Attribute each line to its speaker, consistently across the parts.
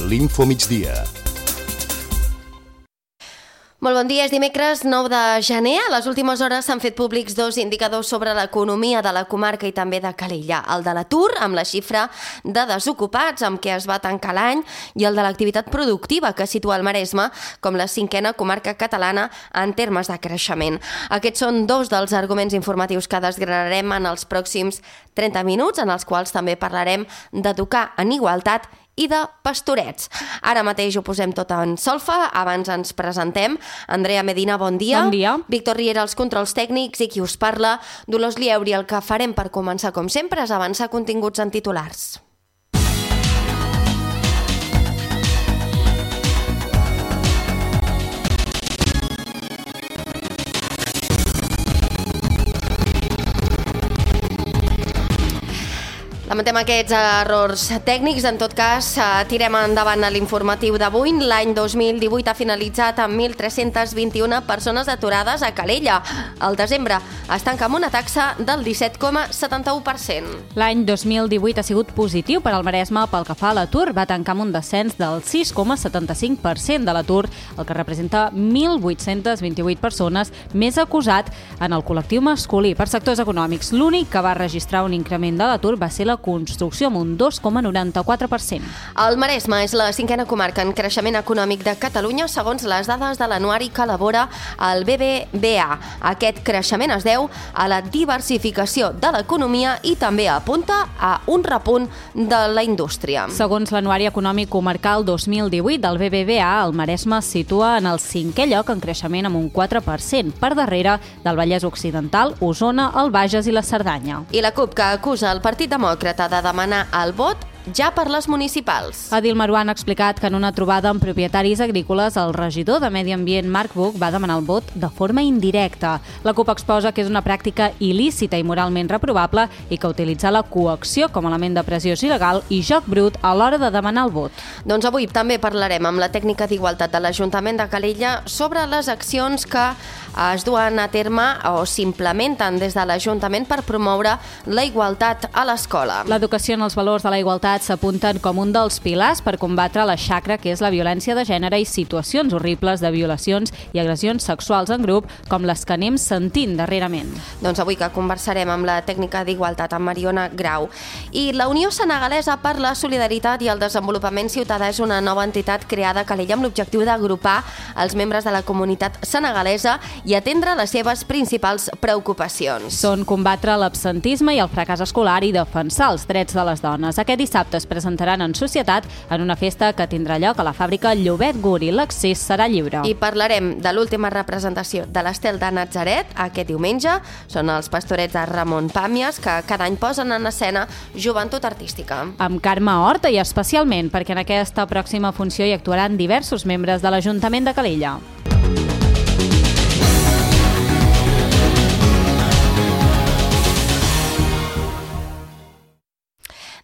Speaker 1: l'Info Migdia.
Speaker 2: Molt bon dia, és dimecres 9 de gener. A les últimes hores s'han fet públics dos indicadors sobre l'economia de la comarca i també de Calella. El de l'atur, amb la xifra de desocupats amb què es va tancar l'any, i el de l'activitat productiva, que situa el Maresme com la 5a comarca catalana en termes de creixement. Aquests són dos dels arguments informatius que desgranarem en els pròxims 30 minuts, en els quals també parlarem d'educar en igualtat i de pastorets. Ara mateix ho posem tot en solfa, abans ens presentem. Andrea Medina, bon dia.
Speaker 3: Bon dia.
Speaker 2: Víctor Riera, els controls tècnics, i qui us parla, Dolors Lieuri. El que farem per començar, com sempre, és avançar continguts en titulars. Lamentem aquests errors tècnics. En tot cas, tirem endavant a l'informatiu d'avui. L'any 2018 ha finalitzat amb 1.321 persones aturades a Calella. Al desembre es tanca amb una taxa del 17,71%.
Speaker 3: L'any 2018 ha sigut positiu per al Maresme pel que fa a l'atur. Va tancar amb un descens del 6,75% de l'atur, el que representa 1.828 persones més acusat en el col·lectiu masculí. Per sectors econòmics, l'únic que va registrar un increment de l'atur va ser la construcció, amb un 2,94%.
Speaker 2: El Maresme és la 5a comarca en creixement econòmic de Catalunya, segons les dades de l'anuari que elabora el BBVA. Aquest creixement es deu a la diversificació de l'economia i també apunta a un repunt de la indústria.
Speaker 3: Segons l'anuari econòmic comarcal 2018 del BBVA, el Maresme es situa en el 5è lloc en creixement amb un 4%, per darrere del Vallès Occidental, Osona, el Bages i la Cerdanya.
Speaker 2: I la CUP, que acusa el Partit Demòcrata de demanar el vot ja per les municipals.
Speaker 3: Adil Maruán ha explicat que en una trobada amb propietaris agrícoles, el regidor de Medi Ambient, Marc Buch, va demanar el vot de forma indirecta. La CUP exposa que és una pràctica il·lícita i moralment reprovable i que utilitza la coacció com a element de pressió il·legal i joc brut a l'hora de demanar el vot.
Speaker 2: Doncs avui també parlarem amb la tècnica d'igualtat de l'Ajuntament de Calella sobre les accions que es duen a terme o s'implementen des de l'Ajuntament per promoure la igualtat a l'escola.
Speaker 3: L'educació en els valors de la igualtat s'apunten com un dels pilars per combatre la xacra que és la violència de gènere i situacions horribles de violacions i agressions sexuals en grup, com les que anem sentint darrerament.
Speaker 2: Doncs avui que conversarem amb la tècnica d'igualtat, amb Mariona Grau. I la Unió Senegalesa per la Solidaritat i el Desenvolupament Ciutadà és una nova entitat creada a Calella amb l'objectiu d'agrupar els membres de la comunitat senegalesa i atendre les seves principals preocupacions.
Speaker 3: Són combatre l'absentisme i el fracàs escolar i defensar els drets de les dones. Aquest dissabte es presentaran en societat en una festa que tindrà lloc a la fàbrica Llobet Guri. L'accés serà lliure.
Speaker 2: I parlarem de l'última representació de l'Estel de Natzaret aquest diumenge. Són els pastorets de Ramon Pàmies, que cada any posen en escena joventut artística.
Speaker 3: Amb Carme Horta i especialment perquè en aquesta pròxima funció hi actuaran diversos membres de l'Ajuntament de Calella.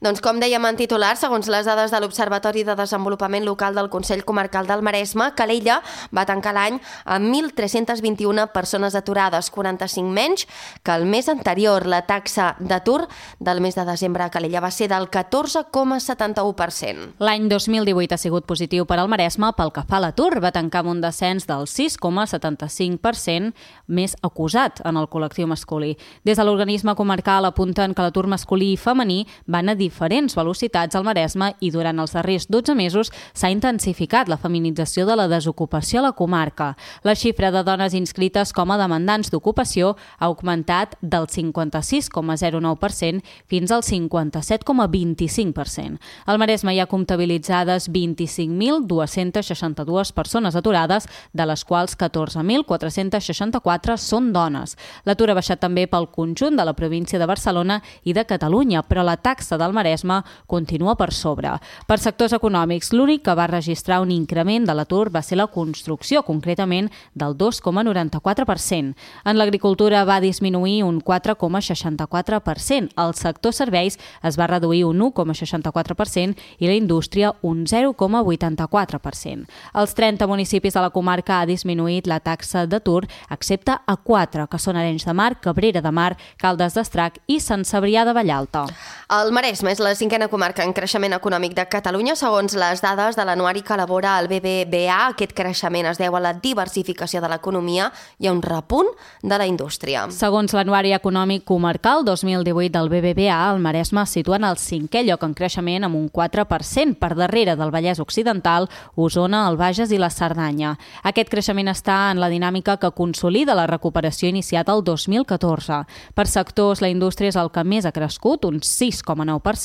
Speaker 2: Doncs com dèiem en titular, segons les dades de l'Observatori de Desenvolupament Local del Consell Comarcal del Maresme, Calella va tancar l'any amb 1.321 persones aturades, 45 menys que el mes anterior. La taxa d'atur del mes de desembre a Calella va ser del 14,71%.
Speaker 3: L'any 2018 ha sigut positiu per al Maresme pel que fa a l'atur. Va tancar amb un descens del 6,75%, més acusat en el col·lectiu masculí. Des de l'organisme comarcal apunten que l'atur masculí i femení van a diferents velocitats al Maresme i durant els darrers 12 mesos s'ha intensificat la feminització de la desocupació a la comarca. La xifra de dones inscrites com a demandants d'ocupació ha augmentat del 56,09% fins al 57,25%. Al Maresme hi ha comptabilitzades 25.262 persones aturades, de les quals 14.464 són dones. L'atur ha baixat també pel conjunt de la província de Barcelona i de Catalunya, però la taxa del Maresme continua per sobre. Per sectors econòmics, l'únic que va registrar un increment de l'atur va ser la construcció, concretament del 2,94%. En l'agricultura va disminuir un 4,64%. El sector serveis es va reduir un 1,64% i la indústria un 0,84%. Als 30 municipis de la comarca ha disminuït la taxa d'atur, excepte a 4, que són Arenys de Mar, Cabrera de Mar, Caldes d'Estrac i Sant Cebrià de Vallalta.
Speaker 2: El Maresme Maresme és la 5ª comarca en creixement econòmic de Catalunya. Segons les dades de l'anuari que elabora el BBVA, aquest creixement es deu a la diversificació de l'economia i a un repunt de la indústria.
Speaker 3: Segons l'anuari econòmic comarcal 2018 del BBVA, el Maresme es situa en el 5è lloc en creixement amb un 4%, per darrere del Vallès Occidental, Osona, el Bages i la Cerdanya. Aquest creixement està en la dinàmica que consolida la recuperació iniciada el 2014. Per sectors, la indústria és el que més ha crescut, un 6,9%,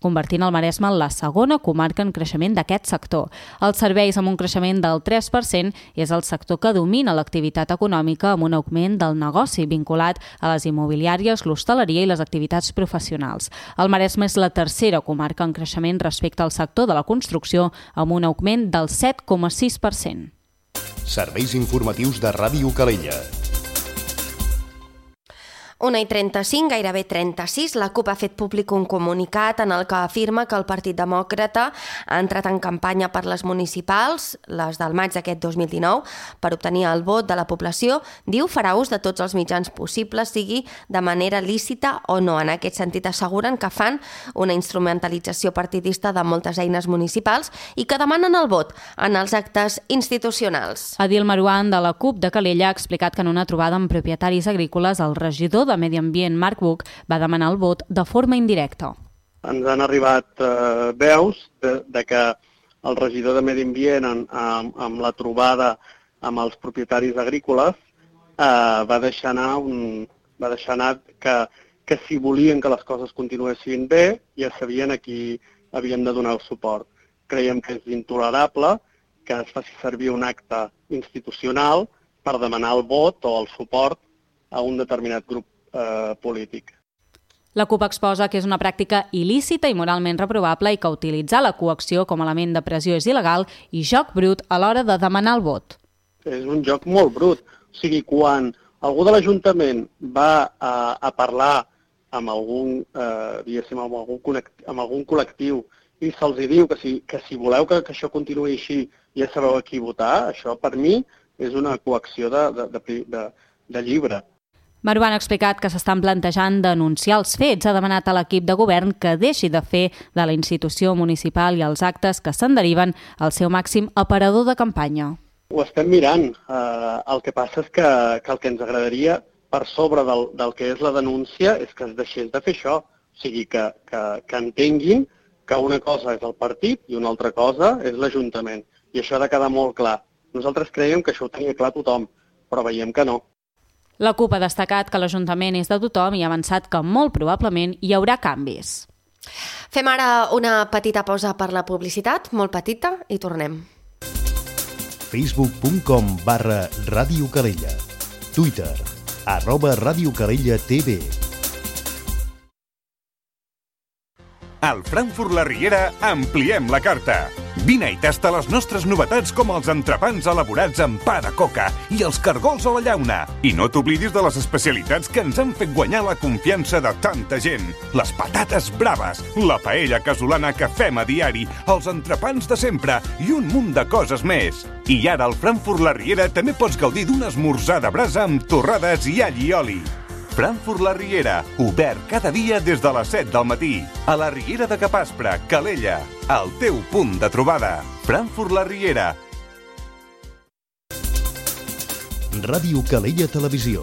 Speaker 3: convertint el Maresme en la 2a comarca en creixement d'aquest sector. Els serveis, amb un creixement del 3%, és el sector que domina l'activitat econòmica amb un augment del negoci vinculat a les immobiliàries, l'hostaleria i les activitats professionals. El Maresme és la 3a comarca en creixement respecte al sector de la construcció, amb un augment del 7,6%.
Speaker 1: Serveis informatius de Ràdio Calella.
Speaker 2: 1:35, gairebé 36, la CUP ha fet públic un comunicat en el que afirma que el Partit Demòcrata ha entrat en campanya per les municipals, les del maig d'aquest 2019, per obtenir el vot de la població. Diu farà ús de tots els mitjans possibles, sigui de manera lícita o no. En aquest sentit asseguren que fan una instrumentalització partidista de moltes eines municipals i que demanen el vot en els actes institucionals.
Speaker 3: Adil Marouane, de la CUP de Calella, ha explicat que en una trobada amb propietaris agrícoles, el regidor de Medi Ambient, Marc Buch, va demanar el vot de forma indirecta.
Speaker 4: Ens han arribat veus de que el regidor de Medi Ambient, amb la trobada amb els propietaris agrícoles, va deixar anar que si volien que les coses continuessin bé, ja sabien a qui havien de donar el suport. Creiem que és intolerable que es faci servir un acte institucional per demanar el vot o el suport a un determinat grup polític.
Speaker 3: La CUP exposa que és una pràctica il·lícita i moralment reprovable i que utilitzar la coacció com a element de pressió és il·legal i joc brut a l'hora de demanar el vot.
Speaker 4: És un joc molt brut. O sigui, quan algú de l'Ajuntament va a parlar amb algun, amb algun col·lectiu i se'ls diu que si voleu que això continuï així ja sabeu a qui votar, això per mi és una coacció de llibre.
Speaker 3: Marouane ha explicat que s'estan plantejant denunciar els fets. Ha demanat a l'equip de govern que deixi de fer de la institució municipal i els actes que se'n deriven el seu màxim aparador de campanya.
Speaker 4: Ho estem mirant. El que passa és que el que ens agradaria, per sobre del que és la denúncia, és que es deixés de fer això. O sigui, que entenguin que una cosa és el partit i una altra cosa és l'Ajuntament. I això ha de quedar molt clar. Nosaltres creiem que això ho tenia clar tothom, però veiem que no.
Speaker 3: La CUP ha destacat que l'Ajuntament és de tothom i ha avançat que molt probablement hi haurà canvis.
Speaker 2: Fem ara una petita pausa per la publicitat, molt petita, i tornem.
Speaker 1: Facebook.com/Ràdio Calella. Twitter, @Ràdio Calella TV.
Speaker 5: Al Frankfurt La Riera ampliem la carta. Vine i tasta les nostres novetats com els entrepans elaborats amb pa de coca i els cargols a la llauna. I no t'oblidis de les especialitats que ens han fet guanyar la confiança de tanta gent. Les patates braves, la paella casolana que fem a diari, els entrepans de sempre i un munt de coses més. I ara al Frankfurt La Riera també pots gaudir d'un esmorzar de brasa amb torrades i all i oli. Frankfurt La Riera, obert cada dia des de les 7 del matí. A la Riera de Capaspre, Calella, el teu punt de trobada. Frankfurt La Riera.
Speaker 1: Ràdio Calella Televisió,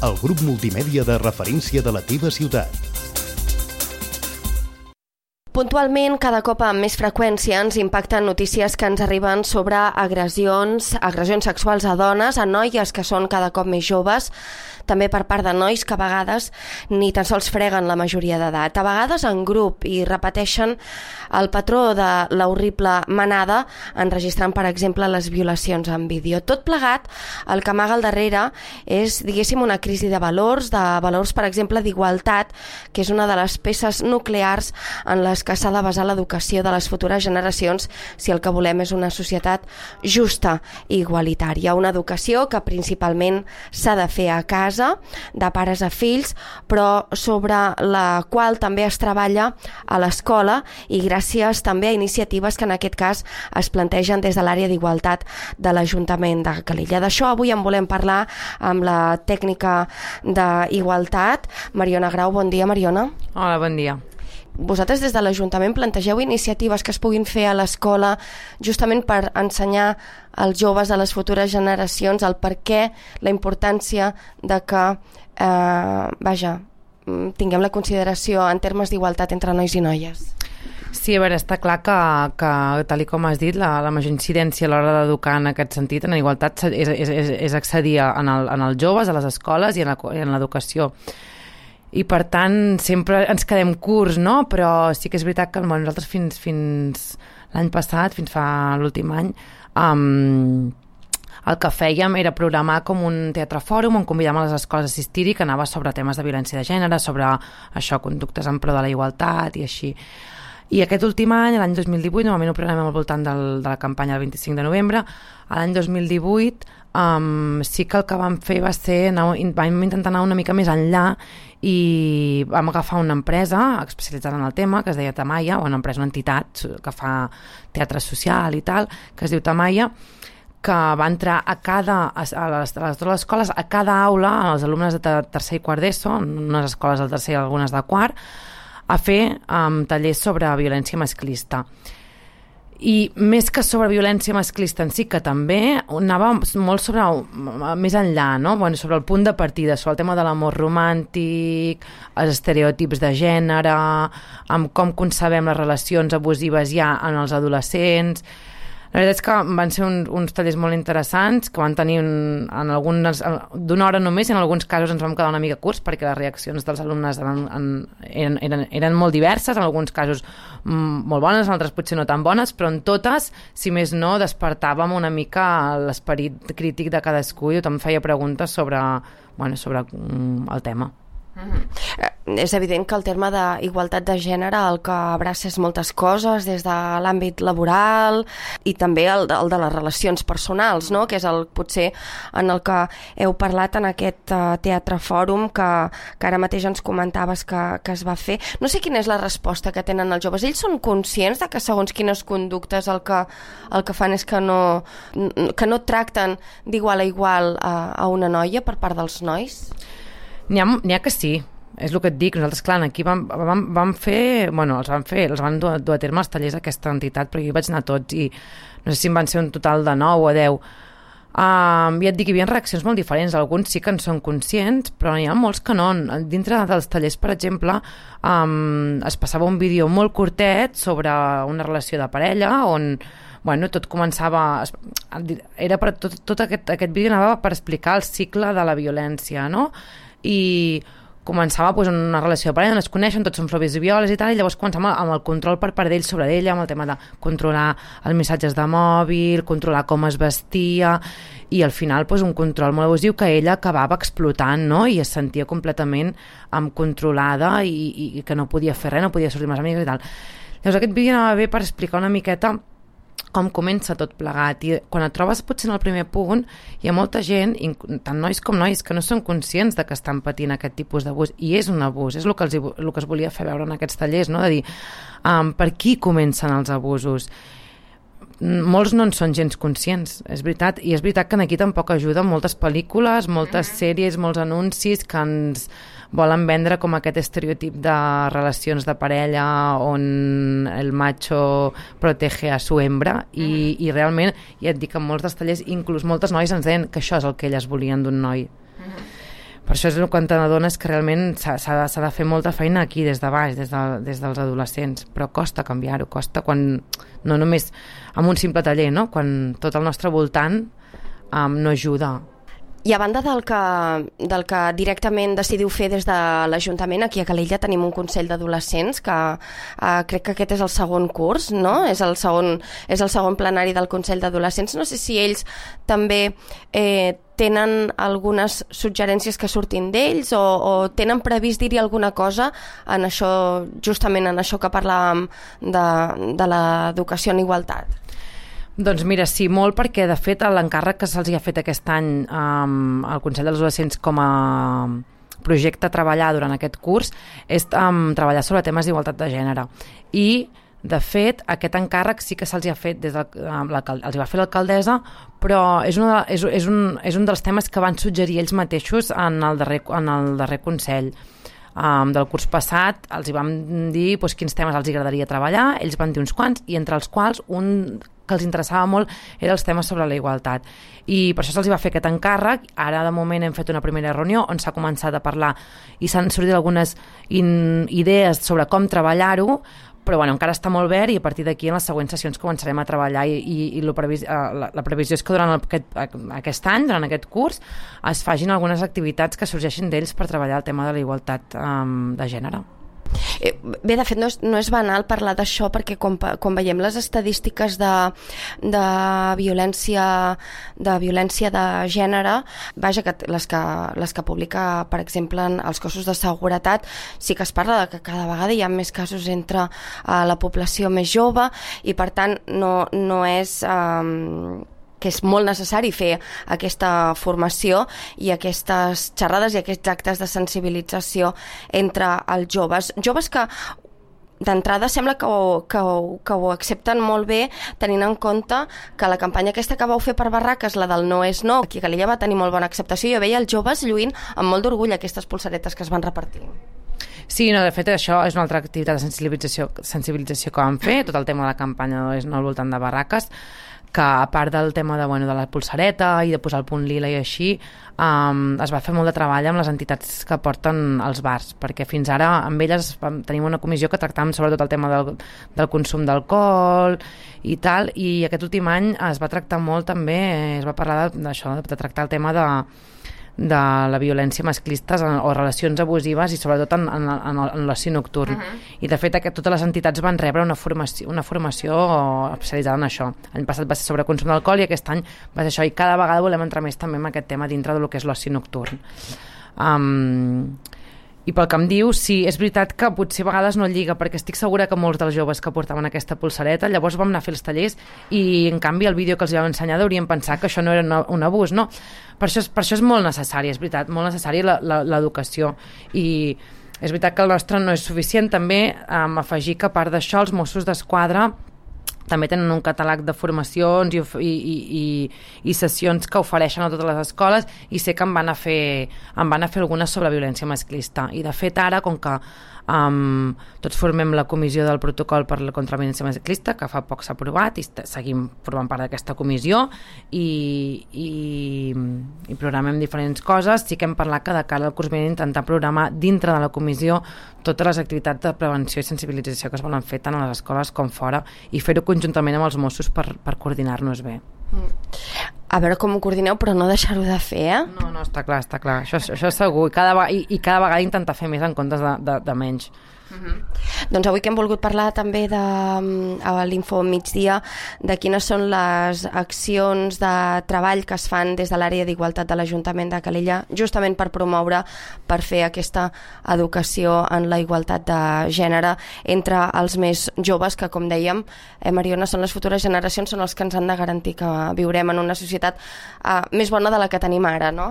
Speaker 1: el grup multimèdia de referència de la teva ciutat.
Speaker 2: Puntualment, cada cop amb més freqüència ens impacten notícies que ens arriben sobre agressions sexuals a dones, a noies que són cada cop més joves, també per part de nois que a vegades ni tan sols freguen la majoria d'edat. A vegades en grup i repeteixen el patró de l'horrible manada enregistrant, per exemple, les violacions en vídeo. Tot plegat, el que amaga al darrere és, diguéssim, una crisi de valors, per exemple, d'igualtat, que és una de les peces nuclears en les que s'ha de basar l'educació de les futures generacions si el que volem és una societat justa i igualitària. Una educació que principalment s'ha de fer a casa, de pares a fills, però sobre la qual també es treballa a l'escola i gràcies també a iniciatives que en aquest cas es plantegen des de l'àrea d'igualtat de l'Ajuntament de Calella. D'això avui en volem parlar amb la tècnica d'igualtat, Mariona Grau. Bon dia, Mariona.
Speaker 6: Hola, bon dia.
Speaker 2: vosaltres des de l'Ajuntament plantegeu iniciatives que es puguin fer a l'escola justament per ensenyar als joves, a les futures generacions, el per què, la importància de que tinguem la consideració en termes d'igualtat entre nois i noies.
Speaker 6: Sí, a veure, està clar que tal com has dit, la major incidència a l'hora d'educar en aquest sentit, en igualtat, és accedir en els joves, a les escoles i en l'educació. I per tant sempre ens quedem curts, no? Però sí que és veritat que nosaltres fins l'any passat, fins fa l'últim any, el que fèiem era programar com un teatre fòrum on convidàvem a les escoles a assistir-hi, que anava sobre temes de violència de gènere, sobre això, conductes en pro de la igualtat i així. I aquest últim any, l'any 2018, normalment ho programem al voltant de la campanya del 25 de novembre, l'any 2018 sí que el que vam fer va ser, vam intentar anar una mica més enllà i vam agafar una empresa especialitzada en el tema, que es deia Tamaia, una entitat que fa teatre social i tal, que es diu Tamaia, que va entrar a les escoles, a cada aula, als alumnes de tercer i quart d'ESO, unes escoles del tercer i algunes de quart, a fer tallers sobre violència masclista. I més que sobre violència masclista en si, que també anava molt sobre més enllà, no? Bueno, sobre el punt de partida, sobre el tema de l'amor romàntic, els estereotips de gènere, amb com concebem les relacions abusives ja en els adolescents. La veritat és que van ser uns tallers molt interessants, que van tenir d'una hora només, i en alguns casos ens vam quedar una mica curts perquè les reaccions dels alumnes eren molt diverses, en alguns casos molt bones, en altres potser no tan bones, però en totes, si més no, despertàvem una mica l'esperit crític de cadascú i tothom feia preguntes sobre el tema.
Speaker 2: És evident que el terme d'igualtat de gènere el que abraça és moltes coses, des de l'àmbit laboral i també el de les relacions personals, no? Que és potser en el que heu parlat en aquest teatre fòrum que ara mateix ens comentaves que es va fer. No sé quina és la resposta que tenen els joves. Ells són conscients de que segons quines conductes el que fan és que no tracten d'igual a igual a una noia per part dels nois?
Speaker 6: N'hi ha que sí, és el que et dic. Nosaltres, clar, aquí vam fer, els van dur a terme els tallers d'aquesta entitat, perquè jo vaig anar a tots i no sé si en van ser un total de 9 o 10. Ja et dic, hi havia reaccions molt diferents, alguns sí que en són conscients, però n'hi ha molts que no. Dintre dels tallers, per exemple, es passava un vídeo molt curtet sobre una relació de parella on tot començava, tot aquest vídeo anava per explicar el cicle de la violència, no? I començava una relació de parella on es coneixen, tots són provisiovioles i tal, i llavors començava amb el control per part d'ells sobre ella, amb el tema de controlar els missatges de mòbil, controlar com es vestia, i al final un control molt abusiu que ella acabava explotant, no? I es sentia completament controlada i que no podia fer res, no podia sortir amb les amigues i tal. Llavors aquest vídeo anava bé per explicar una miqueta com comença tot plegat, i quan et trobes potser en el primer punt hi ha molta gent, tant nois com nois, que no són conscients de que estan patint aquest tipus d'abús, i és un abús, és el que es volia fer veure en aquests tallers, no? De dir per qui comencen els abusos. Molts no en són gens conscients, és veritat, i és veritat que aquí tampoc ajuden moltes pel·lícules, moltes sèries, molts anuncis que ens volen vendre com aquest estereotip de relacions de parella on el macho protege a su hembra, i realment, ja et dic, en molts dels tallers, inclús moltes noies ens deien que això és el que elles volien d'un noi. Per això és quan t'adones que realment s'ha de fer molta feina aquí, des de baix, des dels adolescents, però costa canviar-ho, costa quan, no només amb un simple taller, no? Quan tot el nostre voltant no ajuda.
Speaker 2: I a banda del que directament decidiu fer des de l'Ajuntament, aquí a Calella tenim un Consell d'Adolescents que crec que aquest és el segon curs, no? És el segon plenari del Consell d'Adolescents. No sé si ells també tenen algunes suggerències que surtin d'ells o tenen previst dir-hi alguna cosa en això, justament en això que parlàvem de l'educació en igualtat.
Speaker 6: Doncs mira, sí, molt, perquè de fet l'encàrrec que se'ls ha fet aquest any al Consell dels Adolescents com a projecte a treballar durant aquest curs és treballar sobre temes d'igualtat de gènere. I, de fet, aquest encàrrec sí que se'ls ha fet els va fer l'alcaldessa, però és un dels temes que van suggerir ells mateixos en el darrer Consell. del curs passat, els hi vam dir quins temes els agradaria treballar, ells van dir uns quants, i entre els quals un que els interessava molt era els temes sobre la igualtat. I per això se'ls va fer aquest encàrrec. Ara, de moment, hem fet una primera reunió on s'ha començat a parlar i s'han sortit algunes idees sobre com treballar-ho, però encara està molt verd i a partir d'aquí en les següents sessions començarem a treballar i la previsió és que durant aquest any, durant aquest curs, es facin algunes activitats que sorgeixin d'ells per treballar el tema de la igualtat de gènere.
Speaker 2: Bé, de fet, no és banal parlar d'això perquè quan veiem les estadístiques de violència de gènere, vaja, que les que publica, per exemple, els cossos de seguretat, sí que es parla de que cada vegada hi ha més casos entre la població més jove i, per tant, no és... que és molt necessari fer aquesta formació i aquestes xerrades i aquests actes de sensibilització entre els joves que d'entrada sembla que ho accepten molt bé, tenint en compte que la campanya aquesta que vau fer per Barraques, la del No és no, aquí a Calella va tenir molt bona acceptació. Jo veia els joves lluint amb molt d'orgull aquestes pulseretes que es van repartir.
Speaker 6: Sí, de fet això és una altra activitat de sensibilització que vam fer, tot el tema de la campanya No és no al voltant de Barraques, que a part del tema de la pulsareta i de posar el punt lila i així, es va fer molt de treball amb les entitats que porten els bars, perquè fins ara amb elles tenim una comissió que tractàvem sobretot el tema del consum d'alcohol i tal, i aquest últim any es va tractar molt també, es va parlar d'això, de tractar el tema de la violència masclista o relacions abusives i sobretot en l'oci nocturn. I de fet totes les entitats van rebre una formació especialitzada en això. L'any passat va ser sobre consum d'alcohol i aquest any va ser això, i cada vegada volem entrar més també en aquest tema dintre del que és l'oci nocturn. I pel que em diu, sí, és veritat que potser a vegades no lliga, perquè estic segura que molts dels joves que portaven aquesta pulsareta, llavors vam anar a fer els tallers i en canvi el vídeo que els vam ensenyar haurien pensat que això no era un abús, no? Per això és molt necessari, és veritat, molt necessari l'educació, i és veritat que el nostre no és suficient. També afegir que a part d'això els Mossos d'Esquadra també tenen un catàleg de formacions i sessions que ofereixen a totes les escoles, i sé que em van a fer algunes sobre violència masclista. I de fet ara, com que tots formem la comissió del protocol contra la violència masclista, que fa poc s'ha aprovat, i seguim formant part d'aquesta comissió i programem diferents coses. Sí que hem parlat que de cara al curs vinent intentar programar dintre de la comissió totes les activitats de prevenció i sensibilització que es volen fer tant a les escoles com fora, i fer-ho conjuntament amb els Mossos per coordinar-nos bé.
Speaker 2: A veure com ho coordineu, però no deixar-ho de fer, eh?
Speaker 6: No, està clar. Això és segur. I cada vegada intentar fer més en comptes de menys.
Speaker 2: Doncs avui que hem volgut parlar també a l'Info Migdia de quines són les accions de treball que es fan des de l'àrea d'igualtat de l'Ajuntament de Calella, justament per fer aquesta educació en la igualtat de gènere entre els més joves, que com dèiem, Mariona, són les futures generacions, són els que ens han de garantir que viurem en una societat més bona de la que tenim ara, no?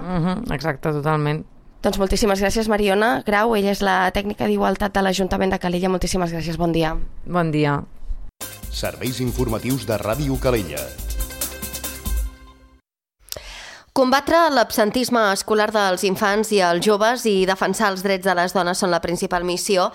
Speaker 6: Exacte, totalment.
Speaker 2: Doncs moltíssimes gràcies, Mariona Grau, ella és la tècnica d'igualtat de l'Ajuntament de Calella. Moltíssimes gràcies, bon dia.
Speaker 6: Bon dia.
Speaker 1: Serveis informatius de Ràdio Calella.
Speaker 2: Combatre l'absentisme escolar dels infants i els joves i defensar els drets de les dones són la principal missió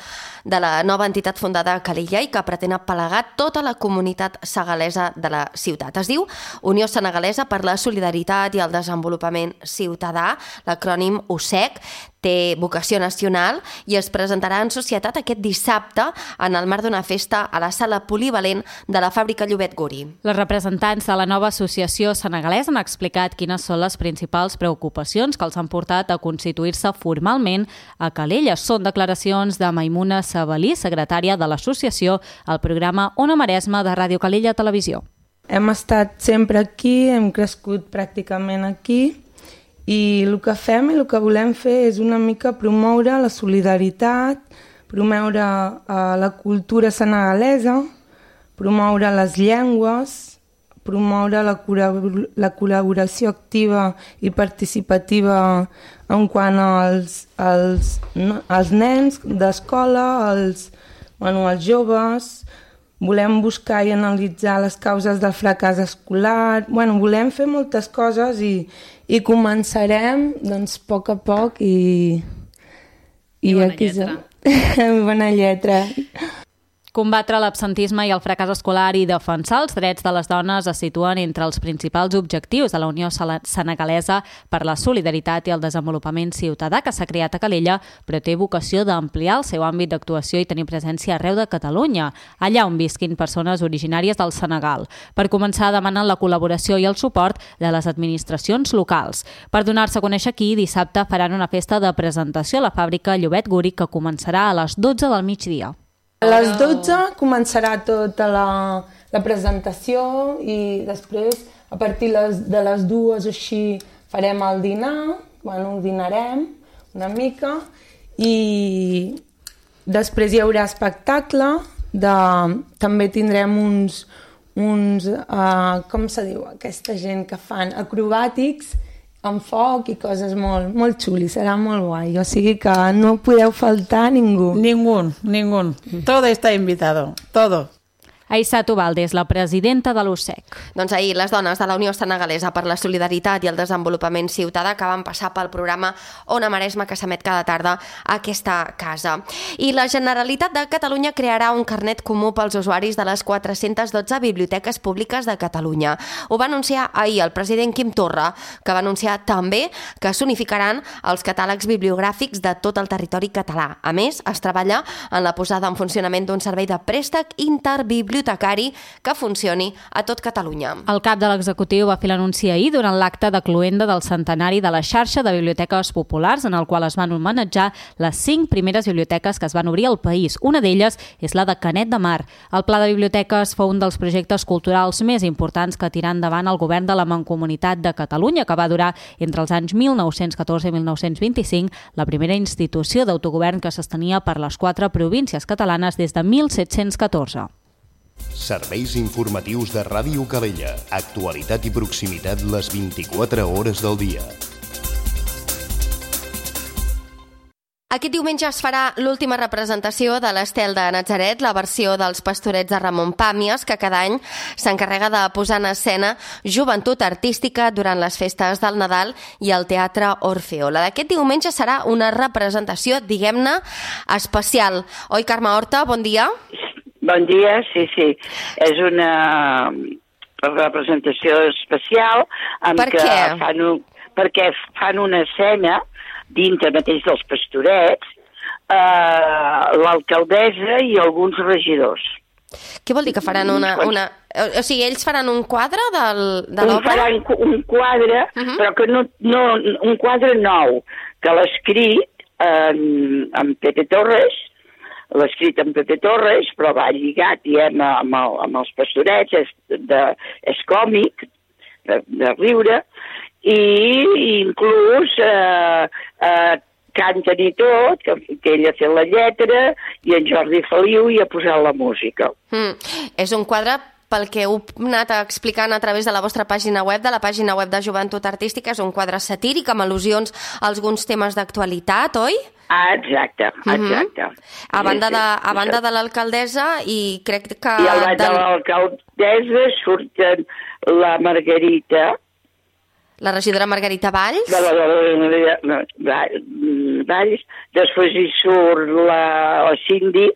Speaker 2: de la nova entitat fundada a Calella i que pretén aplegar tota la comunitat segalesa de la ciutat. Es diu Unió Senegalesa per la Solidaritat i el Desenvolupament Ciutadà, l'acrònim USEC, té vocació nacional i es presentarà en societat aquest dissabte en el marc d'una festa a la sala polivalent de la fàbrica Llobet Guri.
Speaker 3: Les representants de la nova associació senegalesa han explicat quines són les principals preocupacions que els han portat a constituir-se formalment a Calella. Són declaracions de Maimuna Sabalí, secretària de l'associació, al programa Ona Maresma de Ràdio Calella Televisió.
Speaker 7: Hem estat sempre aquí, hem crescut pràcticament aquí, i el que fem i el que volem fer és una mica promoure la solidaritat, promoure la cultura senegalesa, promoure les llengües, promoure la col·laboració activa i participativa en quant als nens d'escola, als joves. Volem buscar i analitzar les causes del fracàs escolar. Volem fer moltes coses i començarem a poc i I aquí som. Bona lletra.
Speaker 3: Combatre l'absentisme i el fracàs escolar i defensar els drets de les dones es situen entre els principals objectius de la Unió Senegalesa per la Solidaritat i el Desenvolupament Ciutadà que s'ha creat a Calella, però té vocació d'ampliar el seu àmbit d'actuació i tenir presència arreu de Catalunya, allà on visquin persones originàries del Senegal. Per començar, demanen la col·laboració i el suport de les administracions locals. Per donar-se a conèixer aquí, dissabte faran una festa de presentació a la fàbrica Llobet Gúric que començarà a les 12 del migdia.
Speaker 7: A les 12 començarà tota la presentació i després, a partir de les 2 així, farem el dinar, dinarem una mica i després hi haurà espectacle, també tindrem uns com se diu, aquesta gent que fan acrobàtics amb foc i coses molt xulis, serà molt guai, o sigui que no podeu faltar ningú.
Speaker 8: Ningún. Todo está invitado, todo.
Speaker 3: Aissatu Valdés, la presidenta de l'USEC.
Speaker 2: Doncs ahir les dones de la Unió Senegalesa per la Solidaritat i el Desenvolupament Ciutadà que van passar pel programa Ona Maresma que s'emet cada tarda a aquesta casa. I la Generalitat de Catalunya crearà un carnet comú pels usuaris de les 412 biblioteques públiques de Catalunya. Ho va anunciar ahir el president Quim Torra, que va anunciar també que s'unificaran els catàlegs bibliogràfics de tot el territori català. A més, es treballa en la posada en funcionament d'un servei de préstec interbibliotecari que funcioni a tot Catalunya.
Speaker 3: El cap de l'executiu va fer l'anunci ahir durant l'acte de cloenda del centenari de la xarxa de biblioteques populars en el qual es van homenatjar les 5 primeres biblioteques que es van obrir al país. Una d'elles és la de Canet de Mar. El Pla de Biblioteques fou un dels projectes culturals més importants que tirà endavant el govern de la Mancomunitat de Catalunya, que va durar entre els anys 1914 i 1925, la primera institució d'autogovern que s'estenia per les 4 províncies catalanes des de 1714.
Speaker 1: Serveis informatius de Ràdio Calella. Actualitat i proximitat les 24 hores del dia.
Speaker 2: Aquest diumenge es farà l'última representació de l'Estel de Natzaret, la versió dels Pastorets de Ramon Pàmies, que cada any s'encarrega de posar en escena joventut artística durant les festes del Nadal i el Teatre Orfeo. La d'aquest diumenge serà una representació, diguem-ne, especial. Oi, Carme Horta? Bon dia.
Speaker 9: Bon dia, sí. És una representació especial perquè fan una escena dintre mateix dels Pastorets, l'alcaldessa i alguns regidors.
Speaker 2: Què vol dir que faran una... O sigui, ells faran un quadre de l'obra?
Speaker 9: Faran un quadre, però que no un quadre nou, que l'ha escrit en Pepe Torres, però va lligat, diem, amb els Pastorets, és còmic, de riure, i inclús canten i tot, que ell ha fet la lletra, i en Jordi Feliu hi ha posat la música.
Speaker 2: És un quadre, pel que heu anat explicant a través de la vostra pàgina web, de la pàgina web de Joventut Artística, és un quadre satíric amb al·lusions a alguns temes d'actualitat, oi?
Speaker 9: Exacte.
Speaker 2: A banda de l'alcaldessa i crec que...
Speaker 9: I a banda de l'alcaldessa surten la Margarita...
Speaker 2: La regidora Margarita Valls?
Speaker 9: Valls. Després hi surt la Cindy.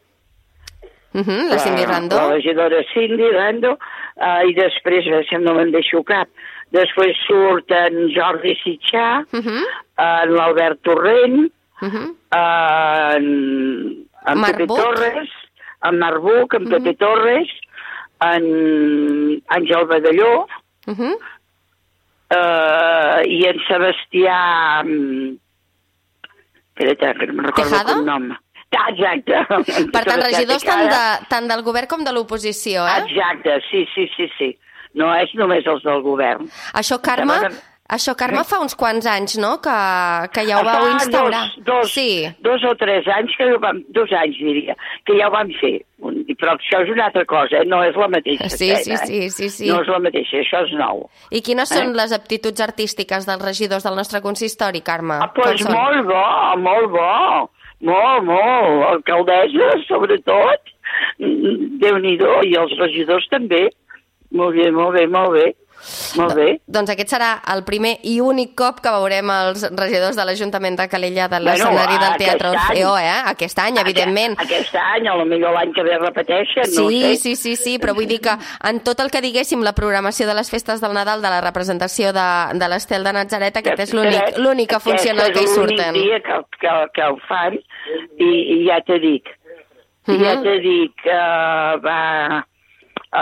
Speaker 2: La Cindy Rando.
Speaker 9: La regidora Cindy Rando. I després, si no me'n deixo cap, després surt en Jordi Sitxà, en l'Albert Torrent, en Pepe Torres, en Marbuc, en Pepe Torres, en Àngel Badalló, i en Sebastià... Espera, que no me'n recordo el nom. Exacte.
Speaker 2: Per tant, regidors tant del govern com de l'oposició, eh?
Speaker 9: Exacte, sí. No és només els del govern.
Speaker 2: Això, Carme, fa uns quants anys, no?, que ja ho vau instaurar.
Speaker 9: Dos o 3 anys, 2 anys diria, que ja ho vam fer. Però això és una altra cosa, no és la mateixa.
Speaker 2: Sí.
Speaker 9: No és la mateixa, això és nou.
Speaker 2: I quines són les aptituds artístiques dels regidors del nostre consistori, Carme?
Speaker 9: Doncs molt bo. Molt. Alcaldessa, sobretot. Déu-n'hi-do, i els regidors també. Molt bé. Molt bé.
Speaker 2: Doncs aquest serà el primer i únic cop que veurem els regidors de l'Ajuntament de Calella de l'escenari del Teatre Orfeo, Aquest any, evidentment.
Speaker 9: Aquest any, potser l'any que ve repeteixen, no ho sé.
Speaker 2: Sí, però vull dir que en tot el que diguéssim, la programació de les festes del Nadal, de la representació de l'Estel de Natzaret, aquest és l'única funcional que hi surten.
Speaker 9: Aquest és l'únic dia que ho fan, i ja t'he dit. Ja t'he dit que va... o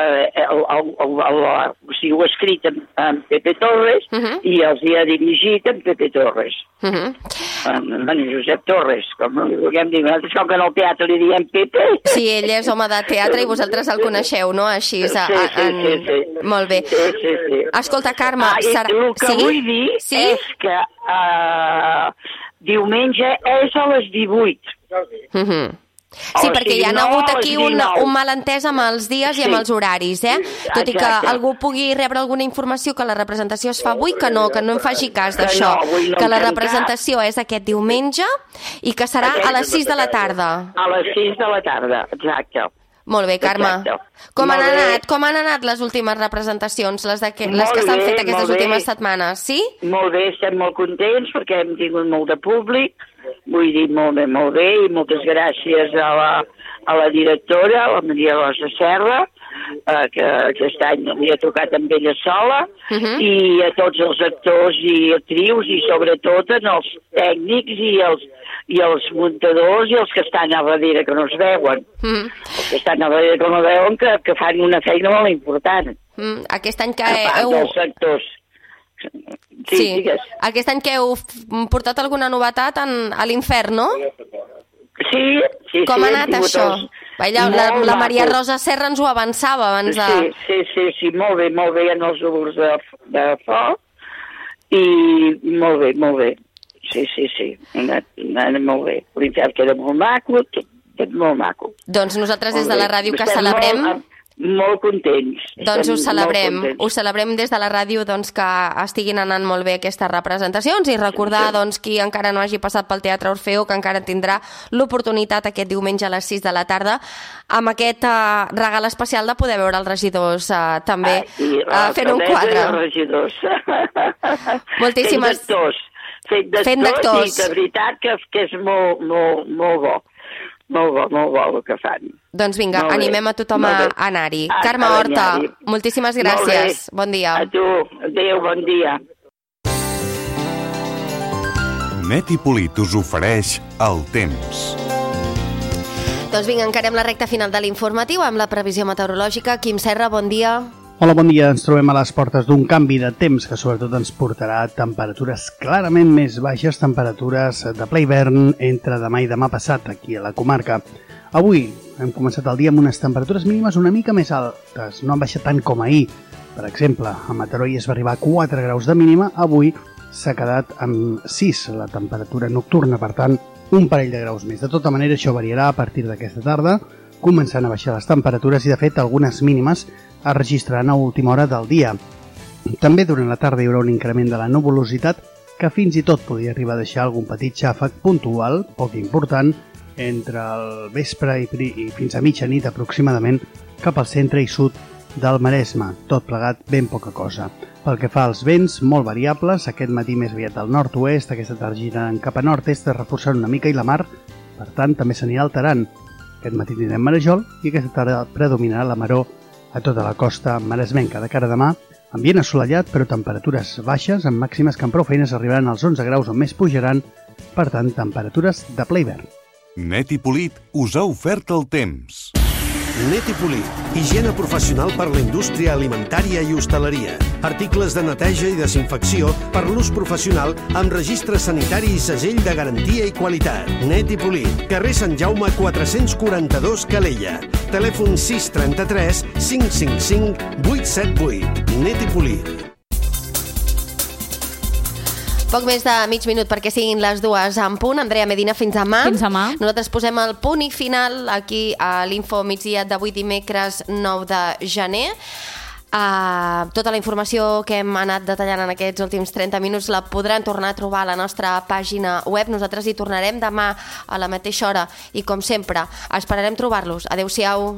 Speaker 9: sigui, ho he escrit en Pepe Torres i els hi ha dirigit en Pepe Torres. En Josep Torres, com vulguem dir. Nosaltres, com que en el teatre li diem Pepe...
Speaker 2: Sí, ell és home de teatre i vosaltres el coneixeu, no? Així,
Speaker 9: sí.
Speaker 2: Molt bé.
Speaker 9: Sí.
Speaker 2: Escolta, Carme...
Speaker 9: El que vull dir és que diumenge és a les 18.
Speaker 2: Sí, perquè hi ha hagut aquí un malentès amb els dies i amb els horaris, Tot i que algú pugui rebre alguna informació que la representació es fa avui, que no em faci cas d'això, que la representació és aquest diumenge i que serà a les 6 de la tarda.
Speaker 9: A les 6 de la tarda, exacte.
Speaker 2: Molt bé, Carme. Com han anat les últimes representacions, les que s'han fet aquestes últimes setmanes, sí?
Speaker 9: Molt bé, estem molt contents perquè hem tingut molt de públic, vull dir, molt bé, i moltes gràcies a la directora, la Maria Rosa Serra, que aquest any li ha tocat amb ella sola, i a tots els actors i actrius, i sobretot als tècnics i els muntadors i els que estan a darrere que no es veuen. Els que estan a darrere que no veuen que fan una feina molt important.
Speaker 2: Aquest any que
Speaker 9: dels actors.
Speaker 2: Sí. Aquest any que heu portat alguna novetat a l'Infern, no?
Speaker 9: Sí.
Speaker 2: Com ha anat això? La Maria Rosa Serra ens ho avançava abans de...
Speaker 9: Sí, molt bé en els núvols de foc, i molt bé. Sí, ha anat molt bé. L'Infern queda molt maco, tot molt maco.
Speaker 2: Doncs nosaltres des de la ràdio que celebrem...
Speaker 9: Molt contents.
Speaker 2: Doncs ho celebrem des de la ràdio que estiguin anant molt bé aquestes representacions i recordar qui encara no hagi passat pel Teatre Orfeo que encara tindrà l'oportunitat aquest diumenge a les 6 de la tarda amb aquest regal especial de poder veure els regidors també fent un quadre. Moltíssimes...
Speaker 9: Fent d'actors. I de veritat que és molt bo. Molt bo el que fan.
Speaker 2: Doncs vinga, animem a tothom a anar-hi. Carme Horta, moltíssimes gràcies. Bon dia.
Speaker 9: A tu. Adéu, bon dia.
Speaker 5: Net i Polit us ofereix el temps.
Speaker 2: Doncs vinga, encarem la recta final de l'informatiu amb la previsió meteorològica. Quim Serra, bon dia.
Speaker 10: Hola, bon dia. Ens trobem a les portes d'un canvi de temps que sobretot ens portarà temperatures clarament més baixes, temperatures de ple hivern entre demà i demà passat aquí a la comarca. Avui hem començat el dia amb unes temperatures mínimes una mica més altes, no han baixat tant com ahir. Per exemple, a Mataró es va arribar a 4 graus de mínima, avui s'ha quedat amb 6 la temperatura nocturna, per tant, un parell de graus més. De tota manera, això variarà a partir d'aquesta tarda, començant a baixar les temperatures i, de fet, algunes mínimes es registraran a última hora del dia. També durant la tarda hi haurà un increment de la nuvolositat que fins i tot podria arribar a deixar algun petit xàfec puntual, poc important, entre el vespre i fins a mitjanit aproximadament cap al centre i sud del Maresme, tot plegat ben poca cosa. Pel que fa als vents, molt variables, aquest matí més aviat al nord-oest, aquesta tarda girant cap a nord-est, reforçant una mica i la mar, per tant, també s'anirà alterant. Aquest matí tindrem marejol i aquesta tarda predominarà la maror a tota la costa maresmenca. De cara a demà, ambient assolellat però temperatures baixes, amb màximes que amb prou feines arribaran als 11 graus on més pujaran, per tant, temperatures de ple hivern.
Speaker 5: Net i Polit us ha ofert el temps.
Speaker 11: Net i Polit, higiene professional per la indústria alimentària i hostaleria. Articles de neteja i desinfecció per l'ús professional amb registre sanitari i segell de garantia i qualitat. Net i Polit, carrer Sant Jaume 442 Calella. Telèfon 633 555 878. Net i Polit.
Speaker 2: Poc més de mig minut perquè siguin les 2 en punt. Andrea Medina, fins demà.
Speaker 3: Fins demà.
Speaker 2: Nosaltres posem el punt i final aquí a l'Info migdia d'avui dimecres 9 de gener. Tota la informació que hem anat detallant en aquests últims 30 minuts la podran tornar a trobar a la nostra pàgina web. Nosaltres hi tornarem demà a la mateixa hora i, com sempre, esperarem trobar-los. Adéu-siau.